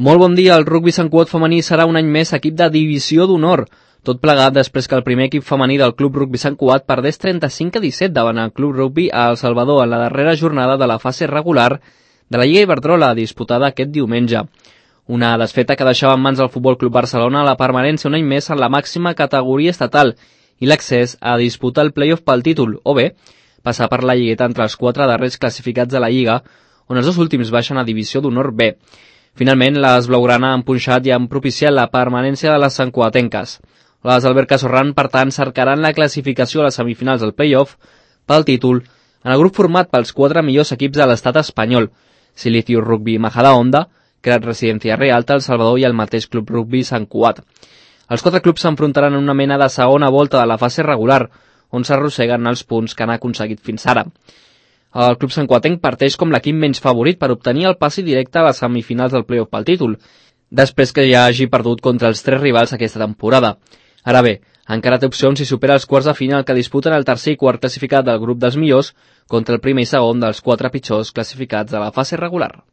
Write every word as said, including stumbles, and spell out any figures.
Molt bon dia, el rugbi Sant Cugat femení serà un any més equip de divisió d'honor. Tot plegat després que el primer equip femení del Club Rugbi Sant Cugat perdés trenta-cinc a disset davant el Club Rugbi a El Salvador en la darrera jornada de la fase regular de la Lliga Iberdrola, disputada aquest diumenge. Una desfeta que deixava en mans del Futbol Club Barcelona la permanència un any més en la màxima categoria estatal i l'accés a disputar el play-off pel títol, o bé, passar per la lligueta entre els quatre darrers classificats de la Lliga, on els dos últims baixen a divisió d'honor B. Finalment, les blaugrana han punxat i han propiciat la permanència de les santcugatenques. Les Alberca Sorran, per tant, cercaran la classificació a les semifinals del play-off pel títol en el grup format pels quatre millors equips de l'estat espanyol: Silicio Rugby Majadahonda, Crat Residencia Realta, El Salvador i el mateix Club Rugbi Sant Cugat. Els quatre clubs s'enfrontaran en una mena de segona volta de la fase regular, on s'arrosseguen els punts que han aconseguit fins ara. El club santcugatenc parteix com l'equip menys favorit per obtenir el passi directe a les semifinals del play-off pel títol, després que ja hagi perdut contra els tres rivals aquesta temporada. Ara bé, encara té opcions si supera els quarts de final que disputen el tercer i quart classificat del grup dels millors contra el primer i segon dels quatre pitjors classificats de la fase regular.